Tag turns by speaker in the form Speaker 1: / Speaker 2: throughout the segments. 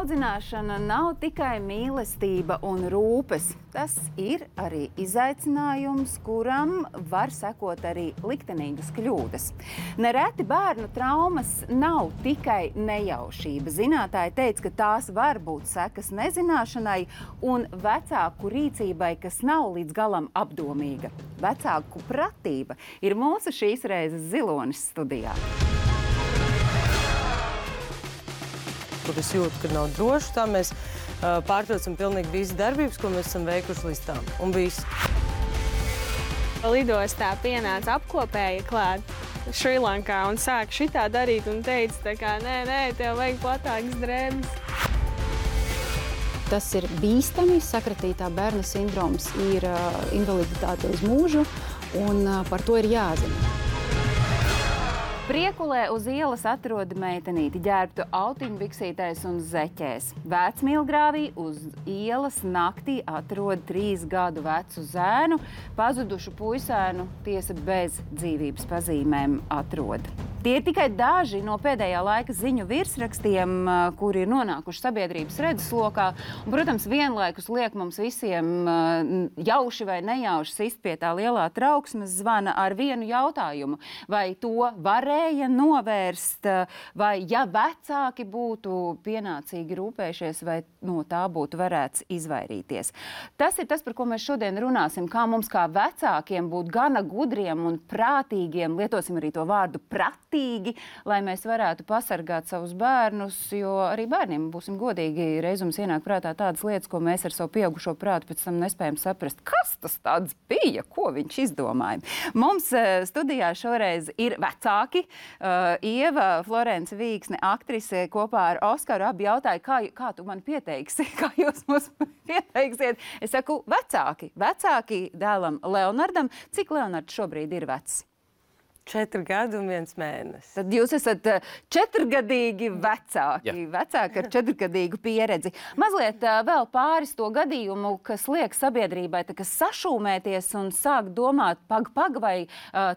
Speaker 1: Audzināšana nav tikai mīlestība un rūpes. Tas ir arī izaicinājums, kuram var sekot arī liktenīgas kļūdas. Nereti bērnu traumas nav tikai nejaušība. Zinātāji teica, ka tās var būt sekas nezināšanai un vecāku rīcībai, kas nav līdz galam apdomīga. Vecāku pratība ir mūsu šīs reizes zilonis studijā.
Speaker 2: Kur es jūtu, ka nav droši, tā mēs pārtraucam pilnīgi visas darbības, ko mēs esam veikuši līdz tam. Un viss.
Speaker 3: Lidostā pienāca apkopēja klāt Šrilankā un sāka šitā darīt un teica, tā kā, nē, tev vajag platākas drēbes.
Speaker 4: Tas ir bīstami, sakratītā bērna sindroms ir invaliditāte uz mūžu, un par to ir jāzina.
Speaker 1: Priekulē uz ielas atroda meitenīti ģērbtu autiņbiksītēs un zeķēs. Vecmīlgrāvī uz ielas naktī atrod 3 gadu vecu zēnu, pazudušu puisēnu tiesa bez dzīvības pazīmēm atrod. Tie ir tikai daži no pēdējā laika ziņu virsrakstiem, kuri ir nonākuši sabiedrības redzeslokā. Un, protams, vienlaikus liek mums visiem jauši vai nejauši sist pie tā lielā trauksmes zvana ar vienu jautājumu. Vai to varēja novērst, vai ja vecāki būtu pienācīgi rūpējušies, vai no tā būtu varēts izvairīties. Tas ir tas, par ko mēs šodien runāsim, kā mums kā vecākiem būt gana gudriem un prātīgiem, lietosim arī to vārdu pratīgi, lai mēs varētu pasargāt savus bērnus, jo arī bērniem, būsim godīgi, reizums ienāk prātā tādas lietas, ko mēs ar savu pieaugušo prātu pēc tam nespējam saprast. Kas tas tāds bija? Ko viņš izdomāja? Mums studijā šoreiz ir vecāki. Ieva Florence Vīksne, aktrise, kopā ar Oskaru abi jautāja, kā tu man pieteiksi, kā jūs mums pieteiksiet. Es saku, vecāki dēlam Leonardam. Cik Leonards šobrīd ir vecs?
Speaker 2: 4 gadi un 1 mēnesis.
Speaker 1: Tad jūs esat 4-gadīgi vecāki, vecāki ar 4-gadīgu pieredzi. Mazliet vēl pāris to gadījumu, kas liek sabiedrībai sašūmēties un sāk domāt, vai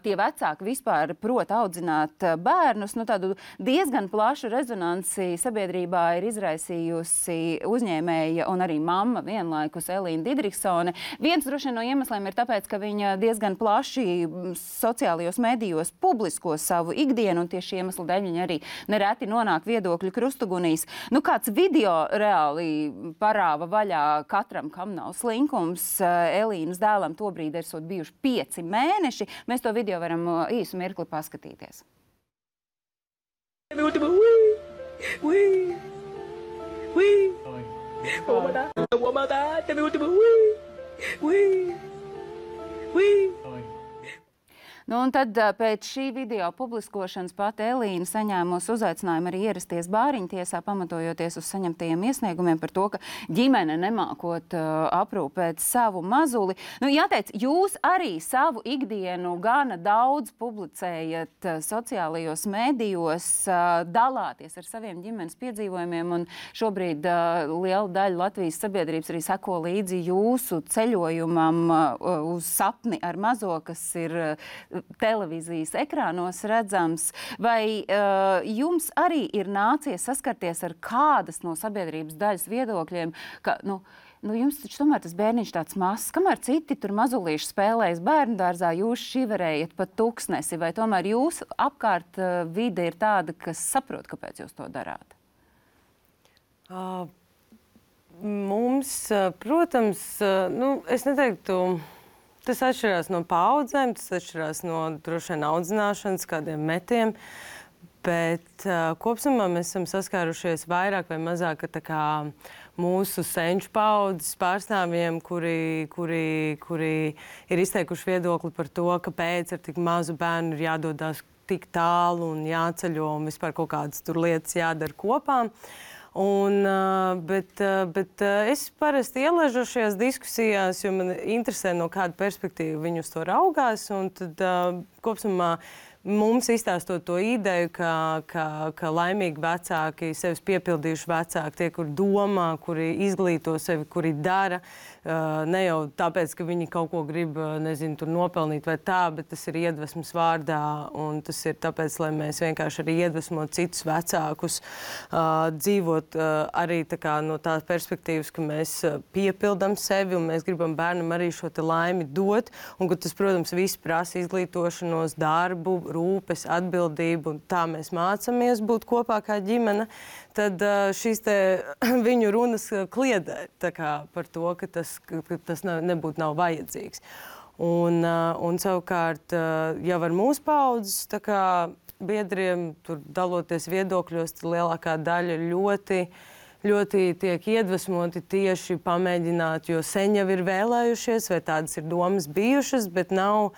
Speaker 1: tie vecāki vispār prot audzināt bērnus. Tādu diezgan plašu rezonanci sabiedrībā ir izraisījusi uzņēmēja un arī mamma vienlaikus Elīna Didriksone. Viens droši vien no iemesliem ir tāpēc, ka viņa diezgan plaši sociālajos medijos publisko savu ikdienu, un tieši iemeslu dēļ viņi arī nereti nonāk viedokļu krustugunīs. Kāds video reāli parāva vaļā katram, kam nav slinkums. Elīnas dēlam tobrīd esot bijuši 5 mēneši. Mēs to video varam īsu mirkli paskatīties. Un tad pēc šī video publiskošanas pati Elīna saņēmusi uzaicinājumu arī ierasties bāriņtiesā, pamatojoties uz saņemtajiem iesniegumiem par to, ka ģimene nemākot aprūpēt savu mazuli. Jāteic, jūs arī savu ikdienu gana daudz publicējat sociālajos medijos, dalāties ar saviem ģimenes piedzīvojumiem, un šobrīd liela daļa Latvijas sabiedrības arī seko līdzi jūsu ceļojumam uz sapni ar mazo, kas ir televīzijas ekrānos redzams. Vai jums arī ir nācies saskarties ar kādas no sabiedrības daļas viedokļiem, ka, jums taču tomēr tas bērniņš tāds mazs, kamēr citi tur mazulīši spēlējas bērnu dārzā, jūs šiverējat pa tuksnesi, vai tomēr jūsu apkārt vide ir tāda, kas saprot, kāpēc jūs to darāt?
Speaker 2: Mums, protams, es neteiktu, tas atšķirās no paudzēm, tas atšķirās no droši vien audzināšanas, kādiem metiem, bet kopsumā mēs esam saskārušies vairāk vai mazāk mūsu senču paudzes pārstāvjiem, kuri ir izteikuši viedokli par to, kāpēc ar tik mazu bērnu ir jādodās tik tālu un jāceļo un vispār kaut kādas tur lietas jādara kopā. Bet es parasti ielaižu šajās diskusijās, jo man interesē, no kāda perspektīva viņi uz to raugās, un tad kopsumā mums izstāstot to ideju, ka laimīgi vecāki, sevis piepildījuši vecāki, tie, kuri domā, kuri izglīto sevi, kuri dara, Ne jau tāpēc, ka viņi kaut ko grib, nezinu, tur nopelnīt vai tā, bet tas ir iedvesmas vārdā, un tas ir tāpēc, lai mēs vienkārši arī iedvesmot citus vecākus, dzīvot arī tā kā no tās perspektīvas, ka mēs piepildam sevi, un mēs gribam bērnam arī šo te laimi dot, un ka tas, protams, viss prasa izglītošanos, darbu, rūpes, atbildību, un tā mēs mācamies būt kopā kā ģimene, tad šīs te viņu runas kliedē tā kā par to, ka tas nebūtu nav vajadzīgs. Un savukārt jau ar mūsu paudzes tā kā biedriem, tur daloties viedokļos, lielākā daļa ļoti tiek iedvesmoti tieši pamēģināt, jo sen jau ir vēlējušies, vai tādas ir domas bijušas, bet nav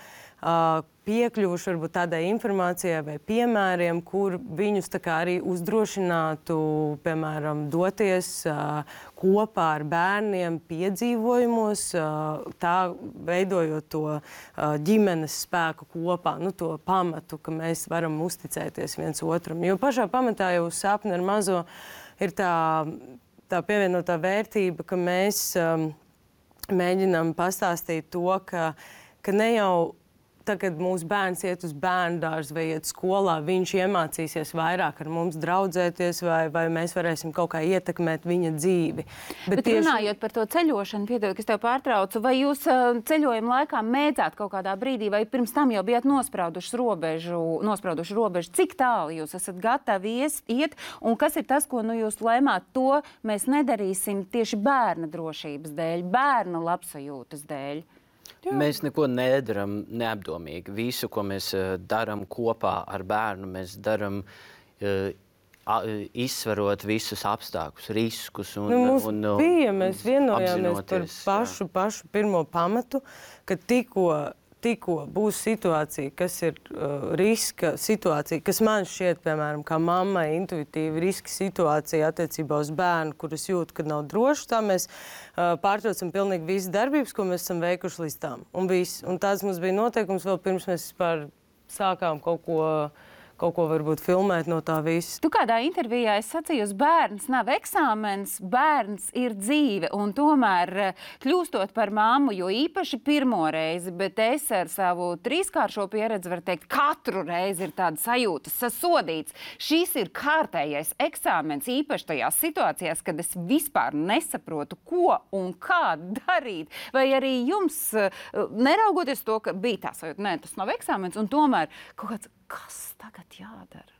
Speaker 2: piekļuvuši varbūt tādai informācijai vai piemēriem, kur viņus tā kā arī uzdrošinātu, piemēram, doties kopā ar bērniem piedzīvojumos, tā veidojot to ģimenes spēku kopā, to pamatu, ka mēs varam uzticēties viens otram. Jo pašā pamatā jau sapni ar mazo ir tā pievienotā vērtība, ka mēs mēģinām pastāstīt to, ka ne jau kad mūsu bērns iet uz bērndārzu vai iet skolā, viņš iemācīsies vairāk ar mums draudzēties vai mēs varēsim kaut kā ietekmēt viņa dzīvi.
Speaker 1: Bet tieši... runājot par to ceļošanu, piedod, ka es tev pārtraucu, vai jūs ceļojuma laikā mēdzāt kaut kādā brīdī, vai pirms tam jau bijāt nosprauduši robežu, cik tālu jūs esat gatavi iet, un kas ir tas, ko jūs lēmāt, to mēs nedarīsim tieši bērna drošības dēļ, bērna labsajūtas dēļ?
Speaker 5: Jā. Mēs neko nedaram neapdomīgi. Visu, ko mēs darām kopā ar bērnu, mēs darām izsverot visus apstākļus, riskus.
Speaker 2: Mēs vienojāmies par pašu pirmo pamatu, ka tikko būs situācija, kas ir riska situācija, kas man šķiet, piemēram, kā mammai intuitīvi riska situācija attiecībā uz bērnu, kuras jūt, ka nav droši, tā mēs pārtraucam pilnīgi visas darbības, ko mēs esam veikuši līdz tam. Un tāds mums bija noteikums vēl pirms mēs sākām kaut ko varbūt filmēt no tā visa.
Speaker 1: Tu kādā intervijā sacīji, bērns nav eksāmens, bērns ir dzīve. Un tomēr kļūstot par mammu, jo īpaši pirmo reizi, bet es ar savu 3-kāršo pieredzi varu teikt, katru reizi ir tāda sajūta, sasodīts. Šis ir kārtējais eksāmens, īpaši tajās situācijās, kad es vispār nesaprotu, ko un kā darīt. Vai arī jums, neraugoties to, ka bija tā sajūta, nē, tas nav eksāmens, un tomēr kaut kāds, kas tagad jādara?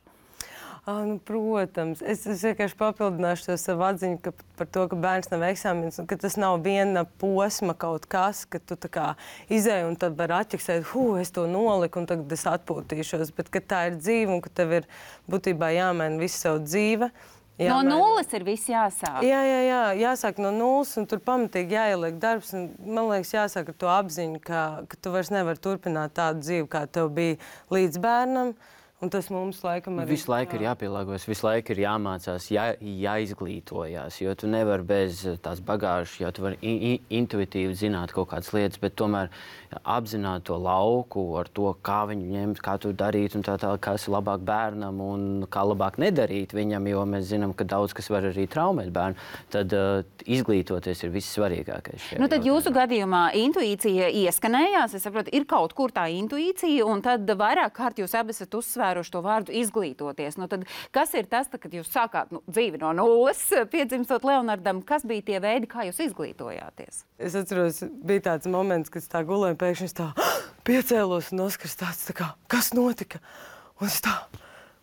Speaker 2: Protams. Es vienkārši papildināšu to savu atziņu par to, ka bērns nav eksāmens un ka tas nav viena posma kaut kas, ka tu tā kā izēji un tad var atķeksēt, es to noliku un tagad es atpūtīšos, bet ka tā ir dzīve un ka tev ir būtībā jāmaina visu savu dzīve.
Speaker 1: No nulles ir viss jāsāk.
Speaker 2: Jā, jāsāk no nulles un tur pamatīgi jāieliek darbs. Un, man liekas, jāsāk ar to apziņu, ka tu vairs nevari turpināt tādu dzīvi, kā tev bija līdz bērnam. Un tas mums laikam arī...
Speaker 5: Visu laiku ir jāpielāgojas, visu laiku ir jāmācās, jāizglītojās, jo tu nevari bez tās bagāžas, jo tu vari intuitīvi zināt kaut kādas lietas, bet tomēr apzināt to lauku ar to, kā viņu ņemt, kā to darīt un tā, kas ir labāk bērnam un kā labāk nedarīt viņam, jo mēs zinām, ka daudz kas var arī traumēt bērnu. Tad izglītoties ir vissvarīgākais.
Speaker 1: Tad jūsu gadījumā intuīcija ieskanējās, es saprotu, ir kaut kur tā intuīcija, un tad vairāk kārt jūs abi esat uzsvēruši to vārdu izglītoties. Tad kas ir tas, kad jūs sākāt dzīvi no nulles, piedzimstot Leonardam, kas bija tie veidi, kā jūs izglītojāties?
Speaker 2: Es atceros, bija tāds moments, kad es tā gulēju, pēkšņi es tā piecēlos un Oskars tāds tā kā, kas notika? Un es tā,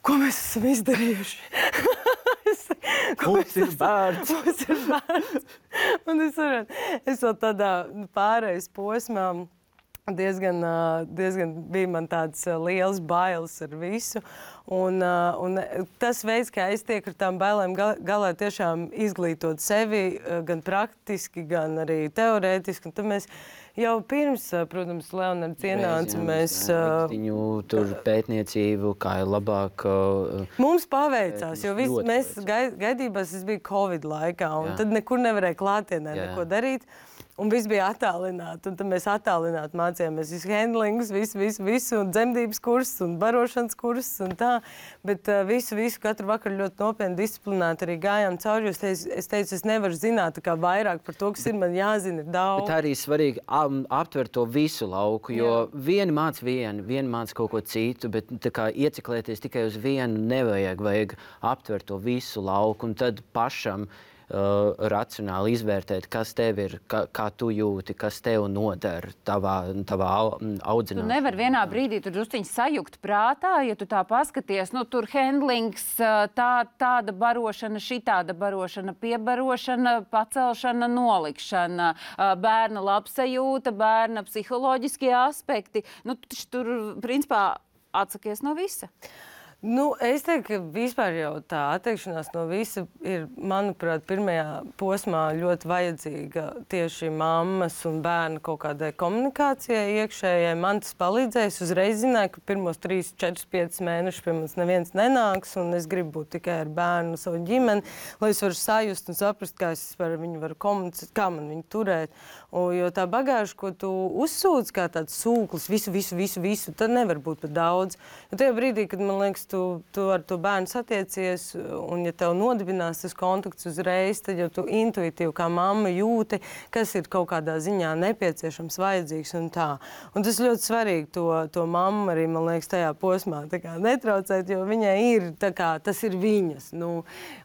Speaker 2: ko mēs esam izdarījuši?
Speaker 5: Mums ir bērns.
Speaker 2: Mums ir bērns. Un es vēl tādā pārejas posmā diezgan bija man tāds liels bailes ar visu. Un tas veids, kā es tieku ar tām bailēm galā, tiešām izglītot sevi gan praktiski, gan arī teorētiski. Un tad mēs jau pirms, protams, Leonards ienāca, mēs...
Speaker 5: Viņu tur pētniecību, kā ir labāk...
Speaker 2: Mums paveicās, jo mēs gaidībās, es biju Covid laikā, un tad nekur nevarēja klātienē neko darīt. un viss bija attālināti. Un tad mēs attālināti mācījāmies visu handlingus, visu, un dzemdības kursus, un barošanas kursus, un tā. Bet visu katru vakaru ļoti nopietni disciplinēti arī gājām cauri, jo es teicu, es nevaru zināt tā kā vairāk par to, kas ir, man jāzina ir daudz.
Speaker 5: Bet arī svarīgi aptvert to visu lauku, jo vieni māca kaut ko citu, bet tā kā ieciklēties tikai uz vienu vajag aptvert to visu lauku un tad pašam racionāli izvērtēt, kas tev ir, kā tu jūti, kas tev nodara tavā audzināšanā.
Speaker 1: Tu nevar vienā brīdī tur drusciņi sajukt prātā, ja tu tā paskaties, nu tur handlings, tāda barošana, šitāda barošana, piebarošana, pacelšana, nolikšana, bērna labsajūta, bērna psiholoģiskie aspekti. Nu, tur, principā, atsakies no visa.
Speaker 2: Nu, es teiktu, ka vispār jau tā atteikšanās no visa ir, manuprāt, pirmajā posmā ļoti vajadzīga tieši mammas un bērna kaut kādai komunikācijai iekšējai. Man tas palīdzēs. Uzreiz zināju, ka pirmos 3, 4, 5 mēnešus pie mums neviens nenāks, un es gribu būt tikai ar bērnu, savu ģimeni, lai es varu sajust un saprast, kā es par viņu varu komunicēt, kā man viņu turēt. Jo tā bagāža, ko tu uzsūdz kā tāds sūklis, visu, tad nevar būt par daudz. Jo tajā brīdī, kad man liekas, tu ar to bērnu satiecies, un ja tev nodibinās tas kontakts uzreiz, tad jau tu intuitīvi kā mamma jūti, kas ir kaut kādā ziņā nepieciešams, vajadzīgs un tā. Un tas ļoti svarīgi to mammu arī, man liekas, tajā posmā tā kā netraucēt, jo viņai ir tā kā, tas ir viņas,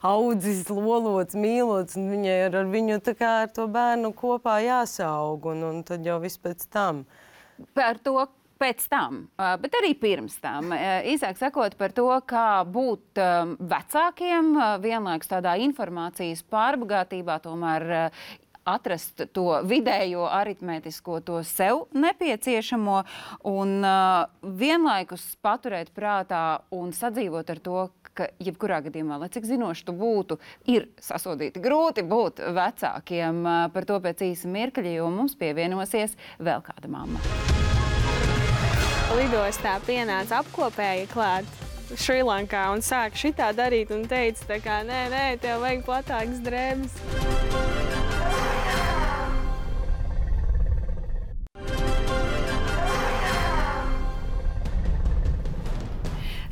Speaker 2: audzis, lolots, mīlots, un viņai ar viņu tā kā ar to bērnu kopā jāsaug, un tad jau viss pēc tam.
Speaker 1: Par to pēc tam, bet arī pirms tam. Īsāk sakot par to, kā būt vecākiem, vienlaikus tādā informācijas pārbagātībā, tomēr atrast to vidējo aritmētisko, to sev nepieciešamo un vienlaikus paturēt prātā un sadzīvot ar to, ka jebkurā gadījumā, lai cik zinoši tu būtu, ir sasodīti grūti būt vecākiem. Par to pēc īsa mirkļa, jo mums pievienosies vēl kāda mamma.
Speaker 3: Lidostā pienāca apkopēja klāt Šrilankā un sāka šitā darīt un teica, tā kā, nē, tev vajag platākas drēbes.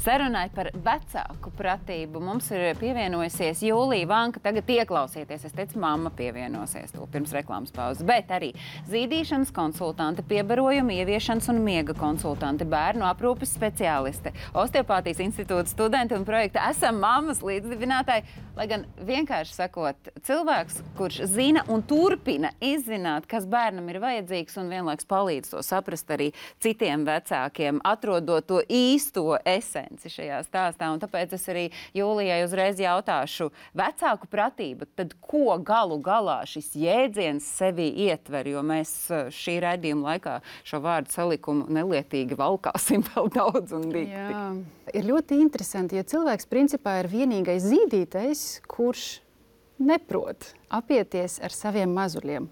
Speaker 1: Sarunai par vecāku pratību mums ir pievienojusies Jūlija Vanka. Tagad ieklausieties, es teicu, mamma pievienosies to pirms reklāmas pauzes, bet arī zīdīšanas konsultante, piebarojuma ieviešanas un miega konsultante, bērnu aprūpes speciāliste, Osteopātijas institūta studenti un projekta Esam mammas līdzdibinātāji. Lai gan vienkārši sakot, cilvēks, kurš zina un turpina izzināt, kas bērnam ir vajadzīgs un vienlaiks palīdz to saprast arī citiem vecākiem, atrodot to īsto esenci šajā stāstā. Un tāpēc es arī Jūlijai uzreiz jautāšu, vecāku pratība, tad ko galu galā šis jēdziens sevi ietver, jo mēs šī raidījuma laikā šo vārdu salikumu nelietīgi valkāsim vēl daudz un dikti.
Speaker 4: Jā, ir ļoti interesanti, jo cilvēks principā ir vienīgais zīdītais, kurš neprot apieties ar saviem mazuļiem.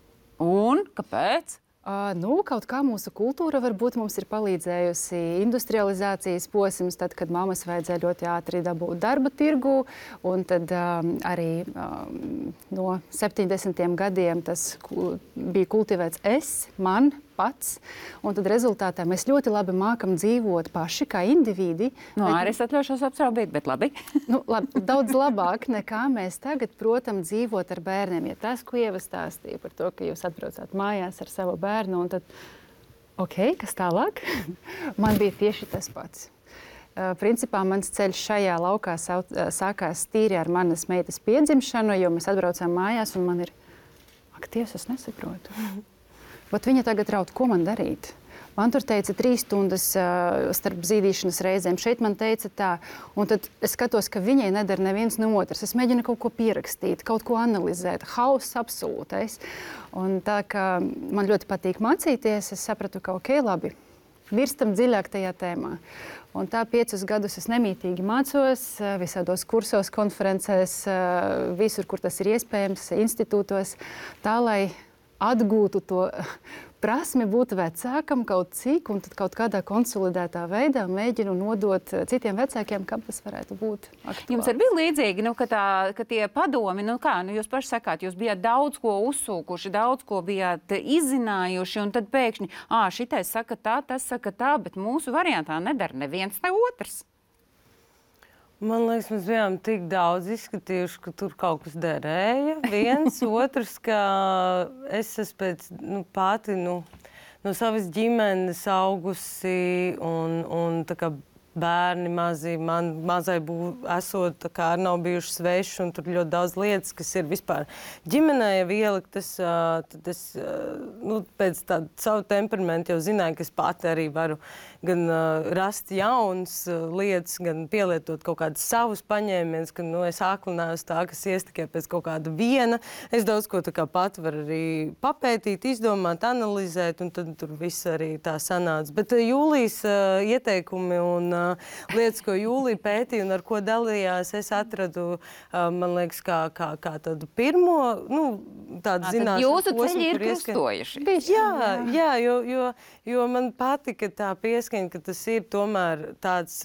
Speaker 1: Un kāpēc?
Speaker 4: Kaut kā mūsu kultūra varbūt mums ir palīdzējusi industrializācijas posms, tad, kad mammas vajadzēja ļoti ātri dabūt darba tirgu, un tad arī no 70. gadiem tas bija kultivēts man pats, un tad rezultātā mēs ļoti labi mākam dzīvot paši kā individi.
Speaker 1: Arī es atļaušos apšaubīt, bet labi.
Speaker 4: Daudz labāk nekā mēs tagad, protams, dzīvot ar bērniem. Ja tas, ko Ieva stāstīja par to, ka jūs atbraucāt mājās ar savu bērnu, un tad, kas tālāk? Man bija tieši tas pats. Principā mans ceļš šajā laukā sākās tīri ar manas meitas piedzimšanu, jo mēs atbraucām mājās, un man ir, Dievs, es nesaprotu. Bet viņa tagad raud, ko man darīt? Man tur teica 3 stundas starp zīdīšanas reizēm. Šeit man teica tā. Un tad es skatos, ka viņai nedara neviens no otras. Es mēģinu kaut ko pierakstīt, kaut ko analizēt. Hauss absolūtais. Un tā kā man ļoti patīk mācīties, es sapratu, ka labi, virstam dziļāk tajā tēmā. Un tā 5 gadus es nemītīgi mācos, visādos kursos, konferencēs, visur, kur tas ir iespējams, institūtos, tā, lai atgūtu to prasmi būt vecākam kaut cik, un tad kaut kādā konsolidētā veidā mēģinu nodot citiem vecākiem, kam tas varētu būt aktuāls.
Speaker 1: Jums arī bija līdzīgi, ka tie padomi, jūs paši sakāt, jūs bijāt daudz ko uzsūkuši, daudz ko bijāt izzinājuši, un tad pēkšņi, šitais saka tā, tas saka tā, bet mūsu variantā nedara neviens, ne otrs.
Speaker 2: Man liekas, mēs bijām tik daudz izskatījuši, ka tur kaut kas derēja. Viens, otrs, ka es esmu pēc pati no savas ģimenes augusi un tā kā bērni mazi, man mazai esot, tā kā arī nav bijuši sveši, un tur ļoti daudz lietas, kas ir vispār ģimenē jau ieliktas, tad es pēc tāda savu temperamentu jau zināju, ka es pati arī varu gan rast jaunas lietas, gan pielietot kaut kādas savus paņēmienus, ka es aklinājos tā, kas ies tikai pēc kaut kāda viena. Es daudz ko tā kā pati varu arī papētīt, izdomāt, analizēt, un tad tur viss arī tā sanāca. Bet Jūlijas ieteikumi un lietas, ko Jūlija pētīja un ar ko dalījās, es atradu, man liekas, kā tādu pirmo, tādu zināšanu.
Speaker 1: Jūsu ceļi ir krustojuši.
Speaker 2: Jā, jo man patika tā pieskaņa, ka tas ir tomēr tāds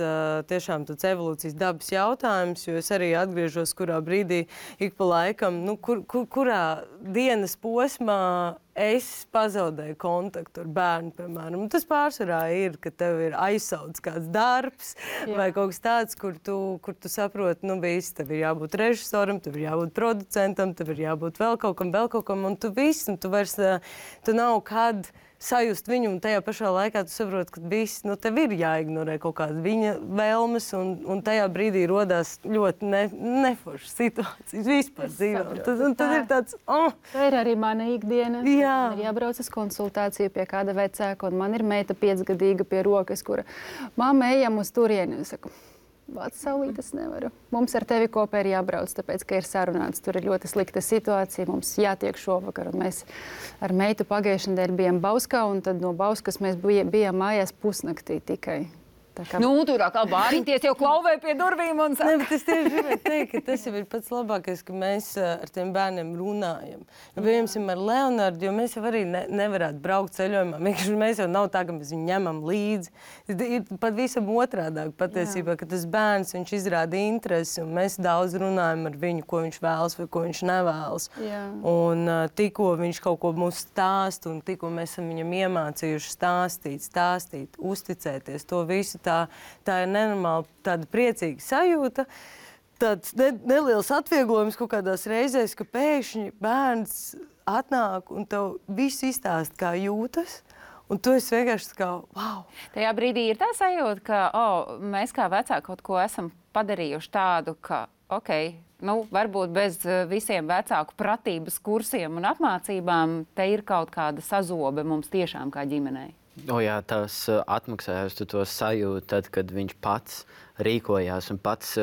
Speaker 2: tiešām tāds evolūcijas dabas jautājums, jo es arī atgriežos, kurā brīdī ik pa laikam, kurā dienas posmā es pazaudēju kontaktu ar bērnu, piemēram. Un tas pārsvarā ir, ka tev ir aizsauts kāds darbs vai kaut kas tāds, kur tu saproti, viss, tev ir jābūt režisoram, tev ir jābūt producentam, tev ir jābūt vēl kaut kam, un tu viss, un tu vairs, tu nav kad sajust viņu, un tajā pašā laikā tu saproti, ka viss, tev ir jāignorē kaut kāda viņa vēlmes, un tajā brīdī rodās ļoti neforšas situācijas vispār dzīvē. Tad ir tāds,
Speaker 4: Tā ir arī mana ikdiena. Man ir jābrauc uz konsultāciju pie kāda vecāka, un man ir meita 5-gadīga pie rokas, kura mamma ejam uz turieni. Es saku, vāc saulīt, es nevaru. Mums ar tevi kopā ir jābrauc, tāpēc, ka ir sarunāts. Tur ir ļoti slikta situācija, mums jātiek šovakar. Un mēs ar meitu pagājušajā nedēļā bijām Bauskā, un tad no Bauskas mēs bijām mājās pusnaktī tikai.
Speaker 1: Tur atkal bāriņties jau klauvē pie durvīm un saka.
Speaker 2: Bet es tieši gribēju teikt, ka tas jau ir pats labākais, ka mēs ar tiem bērniem runājam. Piemēram, ar Leonardu, jo mēs jau arī nevarētu braukt ceļojumā. Mēs jau nav tā, ka mēs viņu ņemam līdzi. Ir pat visam otrādāk patiesībā, ka tas bērns, viņš izrāda interesi, un mēs daudz runājam ar viņu, ko viņš vēlas vai ko viņš nevēlas. Un tikko viņš kaut ko mums stāst, un tikko mēs esam viņam iemācījuši stāstīt, uzticēties to visu, tā ir nenormāli tāda priecīga sajūta, tāds neliels atvieglojums kaut kādās reizēs, ka pēkšņi bērns atnāk un tev viss izstāst, kā jūtas, un tu esi vienkārši kā, wow!
Speaker 1: Tajā brīdī ir tā sajūta, ka mēs kā vecāki kaut ko esam padarījuši tādu, ka, varbūt bez visiem vecāku pratības kursiem un apmācībām, te ir kaut kāda sazobe mums tiešām kā ģimenei.
Speaker 5: Jā, tas atmaksājās to sajūtu, tad, kad viņš pats rīkojās un pats,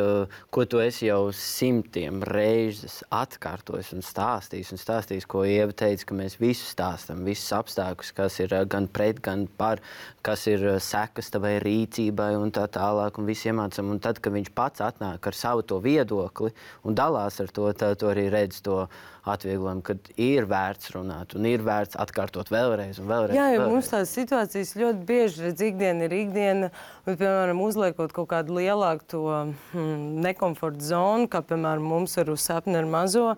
Speaker 5: ko tu esi jau simtiem reizes atkārtojis un stāstījis, ko Ieva teica, ka mēs visu stāstam, visus apstākļus, kas ir gan pret, gan par, kas ir sekas tavai rīcībai un tā tālāk, un visu iemācam. Un tad, kad viņš pats atnāk ar savu to viedokli un dalās ar to, tad tu arī redz to atvieglojumu, kad ir vērts runāt un ir vērts atkārtot vēlreiz un vēlreiz.
Speaker 2: Jā, jo mums tās situācijas ļoti bieži redz, ikdiena ir ikdiena, un, piemēram, uzliekot kaut kādu lielāku to nekomforta zonu, kā, piemēram, mums ar Sapni ar mazo,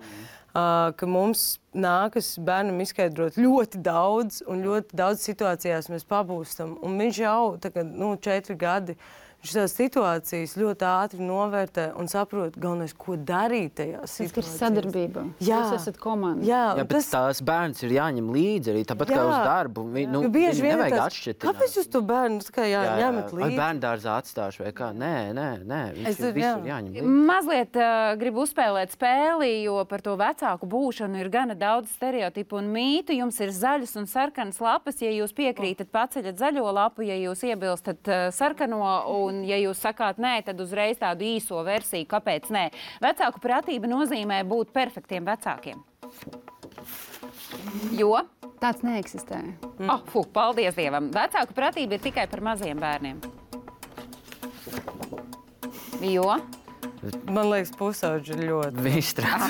Speaker 2: ka mums nākas bērnam izskaidrot ļoti daudz, un ļoti daudz situācijās mēs pabūstam. Un viņš jau, 4 gadi, viņš tās situācijas ļoti ātri novērtē un saprot, galvenais, ko darīt tajā situācijā.
Speaker 4: Tas ir sadarbība. Jūs esat komanda.
Speaker 5: Jā, bet tās bērns ir jāņem līdzi arī, tāpat kā uz darbu. Viņu nevajag atšķirt.
Speaker 2: Kāpēc jūs to bērnu ņemat līdzi?
Speaker 5: Vai bērndārzā atstāšu vai kā? Nē, viņš visur jāņem līdzi.
Speaker 1: Mazliet gribu uzspēlēt spēli, jo par to vecāku būšanu ir gana daudz stereotipu un mītu. Jums ir zaļas un sarkanas lapas. Ja jūs piekrītat, paceļat zaļo lapu, ja jūs iebilstat sarkano, un ja jūs sakāt nē, tad uzreiz tādu īso versiju, kāpēc nē. Vecāku pratība nozīmē būt perfektiem vecākiem. Jo?
Speaker 4: Tāds neeksistē.
Speaker 1: Paldies Dievam. Vecāku pratība ir tikai par maziem bērniem. Jo?
Speaker 2: Man liekas, pusauģi ir ļoti.
Speaker 5: Viņš strādā.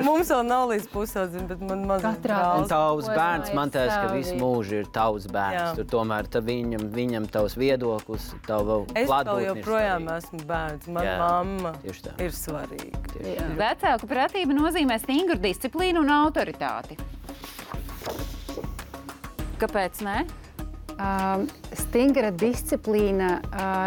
Speaker 2: Mums vēl nav līdz pusaudzim, bet man mazliet
Speaker 1: Katrā
Speaker 5: Tavs bērns, man teiks, ka
Speaker 4: savi.
Speaker 5: visu mūžu ir tavs bērns.
Speaker 2: Jā.
Speaker 5: Tur tomēr viņam tavs viedoklis, tava
Speaker 2: Es vēl
Speaker 5: klātbūtne ir
Speaker 2: joprojām
Speaker 5: svarīga.
Speaker 2: esmu bērns. Man
Speaker 5: Jā,
Speaker 2: mamma
Speaker 5: tieši tā.
Speaker 2: ir svarīga.
Speaker 1: Vecāku pratība nozīmē stingru disciplīnu un autoritāti. Kāpēc ne?
Speaker 4: Stingra disciplīna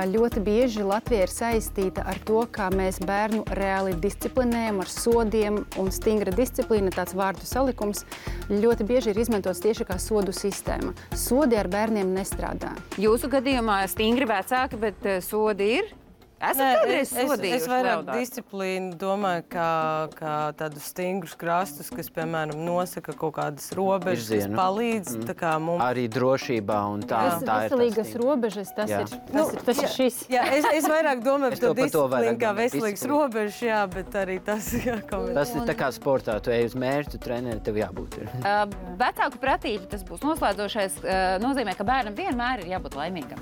Speaker 4: ļoti bieži Latvijā ir saistīta ar to, kā mēs bērnu reāli disciplinējam ar sodiem, un stingra disciplīna, tāds vārdu salikums, ļoti bieži ir izmantots tieši kā sodu sistēma. Sodi ar bērniem nestrādā.
Speaker 1: Jūsu gadījumā stingri vecāki, bet sodi ir? Esat kādreiz sodījuši
Speaker 2: es vairāk
Speaker 1: Leonārdu?
Speaker 2: disciplīnu domāju, kā tādus stingrus krastus, kas, piemēram, nosaka kaut kādas robežas, kas
Speaker 5: Virzienu.
Speaker 2: palīdz. Tā kā mums
Speaker 5: Arī drošībā un tā ir.
Speaker 4: Veselīgas robežas, tas
Speaker 5: Jā.
Speaker 4: ir šis.
Speaker 2: Jā, es vairāk domāju
Speaker 5: Es
Speaker 2: par to
Speaker 5: to par to vairāk
Speaker 2: disciplīnu, kā
Speaker 5: domāju,
Speaker 2: veselīgas
Speaker 5: disciplīna.
Speaker 2: robežas, jā, bet arī tas, jā, kaut kā.
Speaker 5: Tas ir tā kā sportā, tu ej uz mērķu, treneri, tev jābūt ir.
Speaker 1: Vecāku pratība, tas būs noslēdzošais, nozīmē, ka bērnam vienmēr ir jābūt laimīgam.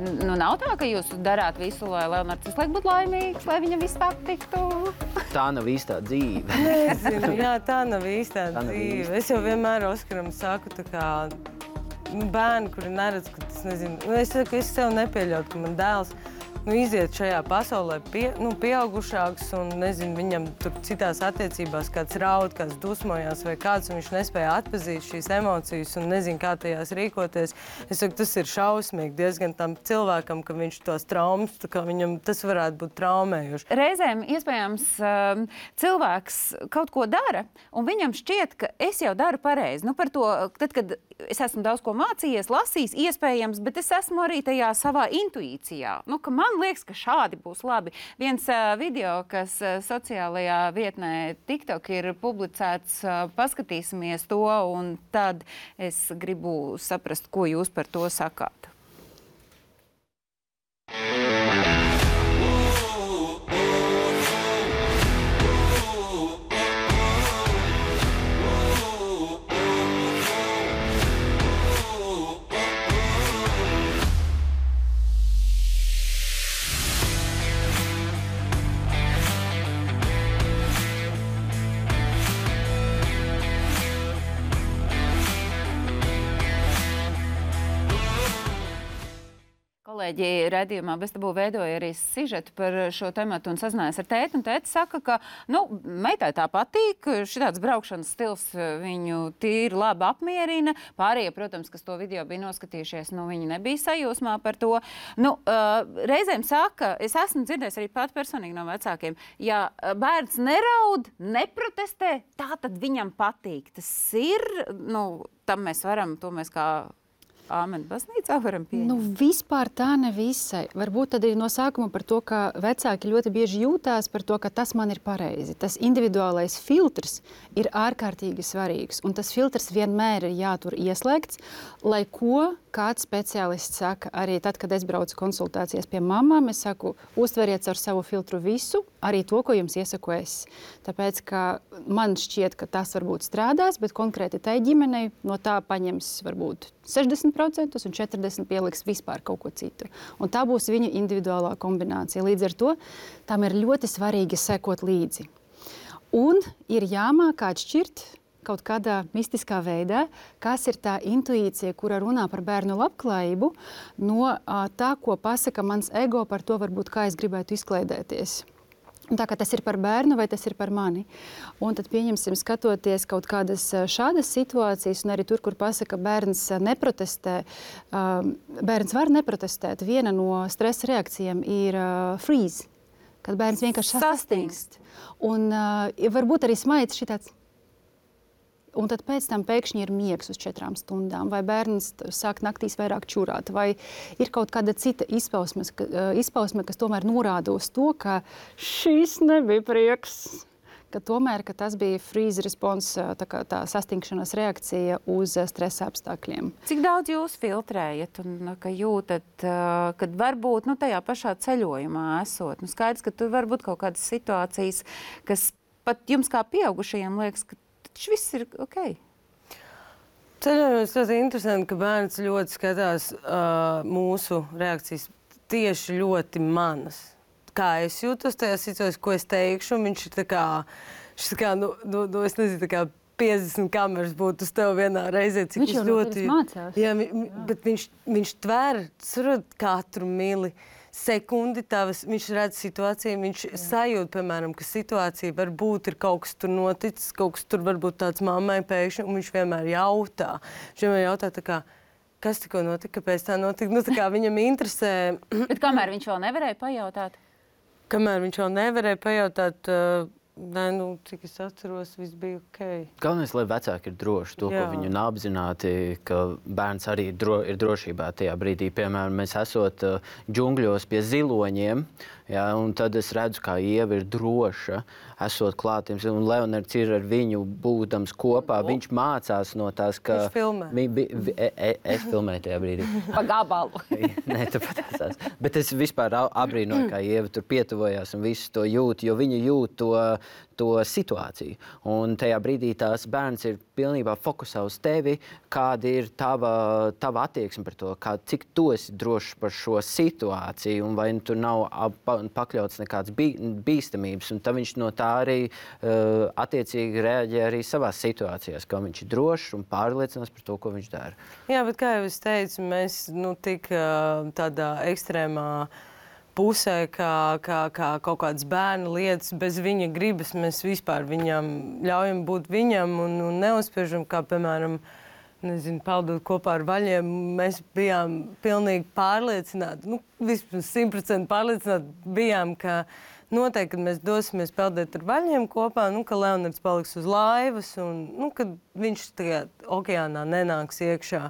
Speaker 1: Nu, nav tā, ka jūs darāt visu, lai Leonards visu laiku būtu laimīgs, lai viņam viss patiktu.
Speaker 5: Tā nav īstā dzīve.
Speaker 2: Nezinu, jā, tā nav īstā
Speaker 5: Tā nav
Speaker 2: dzīve.
Speaker 5: īsta.
Speaker 2: Es jau vienmēr Oskaram saku, tā kā bērni, kuri neredz, ka tas nezinu. Es saku, es sev nepieļautu, ka man dēls iziet šajā pasaulē pieaugušāks un, nezinu, viņam tur citās attiecībās kāds raud, kāds dusmojās vai kāds, un viņš nespēja atpazīt šīs emocijas un nezinu, kā tajās rīkoties. Es saku, tas ir šausmīgi diezgan tam cilvēkam, ka viņš tos traumas, tā kā viņam tas varētu būt traumējuši.
Speaker 1: Reizēm, iespējams, cilvēks kaut ko dara, un viņam šķiet, ka es jau daru pareizi. Nu, par to, tad, kad es esmu daudz ko mācījies, lasījis, iespējams, bet es esmu arī tajā savā intuīcijā. Nu, ka man liekas, ka šādi būs labi. Viens video, kas sociālajā vietnē TikTok ir publicēts, paskatīsimies to, un tad es gribu saprast, ko jūs par to sakāt. Kolēģi redzījumā Bez tabū veidoja arī sižetu par šo tematu un sazinājās ar tēti. Un tēti saka, ka meitai tā patīk, šitāds braukšanas stils viņu tīri labi apmierina. Pārējie, protams, kas to video bija noskatījušies, viņi nebija sajūsmā par to. Reizēm saka, es esmu dzirdējis arī pat personīgi no vecākiem, ja bērns neraud, neprotestē, tā tad viņam patīk. Tas ir, tam mēs varam, to mēs kā Āmen baznīcā varam pieņemt?
Speaker 4: Vispār tā nevisai. Varbūt tad ir no sākuma par to, ka vecāki ļoti bieži jūtās par to, ka tas man ir pareizi. Tas individuālais filtrs ir ārkārtīgi svarīgs. Un tas filtrs vienmēr ir jātur ieslēgts, lai ko kāds speciālists saka. Arī tad, kad es braucu konsultācijas pie mamām, es saku, uztveriet ar savu filtru visu, arī to, ko jums iesaku es. Tāpēc, ka man šķiet, ka tas varbūt strādās, bet konkrēti tai ģimenei no tā paņems varbūt 60% un 40% pieliks vispār kaut ko citu. Un tā būs viņu individuālā kombinācija. Līdz ar to tam ir ļoti svarīgi sekot līdzi. Un ir jāmāk atšķirt kaut kādā mistiskā veidā, kas ir tā intuīcija, kura runā par bērnu labklājību, no tā, ko pasaka mans ego par to, varbūt, kā es gribētu izklaidēties. Tā kā tas ir par bērnu vai tas ir par mani. Un tad pieņemsim, skatoties kaut kādas šādas situācijas, un arī tur, kur pasaka, bērns neprotestē, bērns var neprotestēt. Viena no stresa reakcijām ir freeze, kad bērns vienkārši sastingst. Un varbūt arī smaids šitāds. Un tad pēc tam pēkšņi ir miegs uz 4 stundām, vai bērns sāk naktīs vairāk čurāt, vai ir kaut kāda cita izpausme, kas tomēr norāda uz to, ka šis nebija prieks, ka tomēr ka tas bija freeze response, tā sastingšanās reakcija uz stresa apstākļiem.
Speaker 1: Cik daudz jūs filtrējat un ka jūtat, kad varbūt tajā pašā ceļojumā esot? Skaidrs, ka tur var būt kaut kādas situācijas, kas pat jums kā pieaugušajiem liekas, ka viss ir ok.
Speaker 2: Ceļojumos ļoti interesanti, ka bērns ļoti skatās mūsu reakcijas tieši ļoti manas. Kā es jūtos tajā situācijā, ko es teikšu, un viņš ir tā kā, es nezinu, tā kā 50 kameras būtu uz tevi vienā reizē, cik
Speaker 4: viņš jau ļoti mācās.
Speaker 2: Jā, bet viņš tver katru mili sekundi tavas, viņš redz situāciju, viņš sajūt, piemēram, ka situācija varbūt ir kaut kas tur noticis, kaut kas tur varbūt tāds mammai pēkšņi, un viņš vienmēr jautā. Viņš vienmēr jautā tā kā, kas tikko notika, kāpēc tā notika, tā kā viņam interesē.
Speaker 1: Bet kamēr viņš vēl nevarēja pajautāt?
Speaker 2: Kamēr viņš vēl nevarēja pajautāt, cik es atceros, viss bija ok.
Speaker 5: Galvenais, lai vecāki ir droši to, ko viņi un apzināti, ka bērns arī ir drošībā tajā brīdī. Piemēram, mēs esot džungļos pie ziloņiem, jā, un tad es redzu, kā Ieva ir droša, esot klātiem, un Leonards ir ar viņu būdams kopā. Viņš mācās no tās, ka...
Speaker 2: Viņš filmē.
Speaker 5: Es filmēju tajā brīdī.
Speaker 1: Pa gabalu.
Speaker 5: Nē, tu patāsās. Bet es vispār abrīnoju, kā Ieva tur pietuvojās un visu to jūt, jo viņa jūt to situāciju. Un tajā brīdī tās bērns ir pilnībā fokusā uz tevi, kāda ir tava attieksme par to, cik tu esi drošs par šo situāciju, un vai tur nav pakļauts nekāds bīstamības. Un tad viņš no tā arī attiecīgi reaģē arī savās situācijās, kā viņš ir drošs un pārliecinās par to, ko viņš dara.
Speaker 2: Jā, bet kā jau es teicu, mēs tik tādā ekstrēmā pusē, kā kaut kādas bērna lietas, bez viņa gribas, mēs vispār viņam ļaujam būt viņam un neuzspiežam, kā, piemēram, peldot kopā ar vaļiem. Mēs bijām pilnīgi pārliecināti, vispār 100% pārliecināti bijām, ka noteikti, kad mēs dosimies peldēt ar vaļiem kopā, ka Leonards paliks uz laivas un kad viņš tagad okeānā nenāks iekšā.